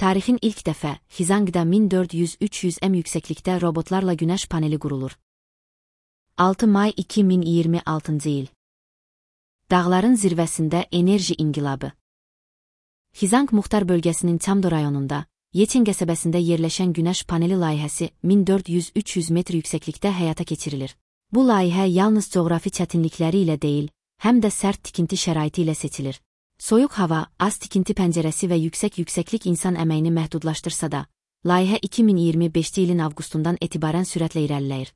Tarixin ilk dəfə Xizangda 1400-300 m yüksəklikdə robotlarla günəş paneli qurulur. 6 may 2026 il. Dağların zirvəsində enerji inqilabı. Xizang Muxtar bölgəsinin Çamdo rayonunda, Yeçen qəsəbəsində yerləşən günəş paneli layihəsi 1400-300 metr yüksəklikdə həyata keçirilir. Bu layihə yalnız coğrafi çətinlikləri ilə deyil, həm də sərt tikinti şəraiti ilə seçilir. Soyuq hava, az tikinti pəncərəsi və yüksəklik insan əməyini məhdudlaşdırsa da, layihə 2025 ilin avqustundan etibarən sürətlə irəliləyir.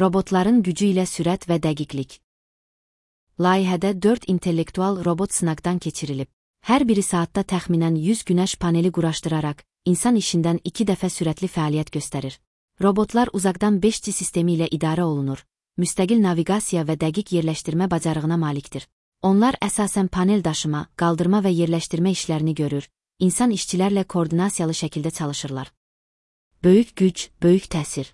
Robotların gücü ilə sürət və dəqiqlik. Layihədə 4 intellektual robot sınaqdan keçirilib. Hər biri saatda təxminən 100 günəş paneli quraşdıraraq, insan işindən 2 dəfə sürətli fəaliyyət göstərir. Robotlar uzaqdan 5G sistemi ilə idarə olunur, müstəqil naviqasiya və dəqiq yerləşdirmə bacarığına malikdir. Onlar əsasən panel daşıma, qaldırma və yerləşdirmə işlərini görür, insan işçilərlə koordinasiyalı şəkildə çalışırlar. Böyük güc, böyük təsir.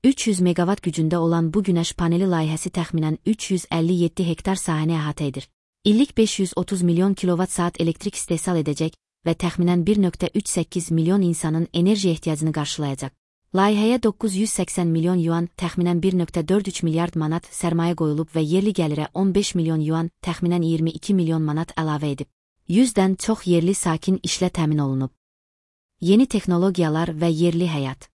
300 megawatt gücündə olan bu günəş paneli layihəsi təxminən 357 hektar sahəni əhatə edir. İllik 530 milyon kilovat-saat elektrik istehsal edəcək və təxminən 1,38 milyon insanın enerji ehtiyacını qarşılayacaq. Layihəyə 980 milyon yuan, təxminən 1,43 milyard manat sərmayə qoyulub və yerli gəlirə 15 milyon yuan, təxminən 22 milyon manat əlavə edib. 100-dən çox yerli sakin işlə təmin olunub. Yeni texnologiyalar və yerli həyat.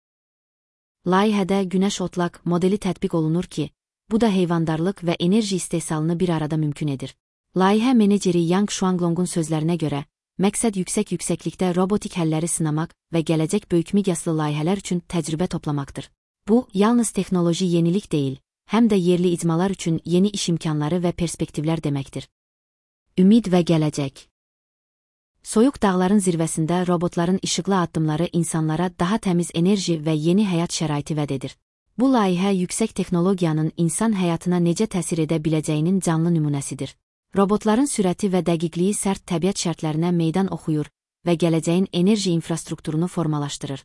Layihədə günəş otlaq modeli tətbiq olunur ki, bu da heyvandarlıq və enerji istehsalını bir arada mümkün edir. Layihə meneceri Yang Shuanglongun sözlərinə görə, məqsəd yüksəklikdə robotik həlləri sınamaq və gələcək böyük miqyaslı layihələr üçün təcrübə toplamaqdır. Bu, yalnız texnoloji yenilik deyil, həm də yerli icmalar üçün yeni iş imkanları və perspektivlər deməkdir. Ümid və gələcək. Soyuq dağların zirvəsində robotların işıqlı addımları insanlara daha təmiz enerji və yeni həyat şəraiti vəd edir. Bu layihə yüksək texnologiyanın insan həyatına necə təsir edə biləcəyinin canlı nümunəsidir. Robotların sürəti və dəqiqliyi sərt təbiət şərtlərinə meydan oxuyur və gələcəyin enerji infrastrukturunu formalaşdırır.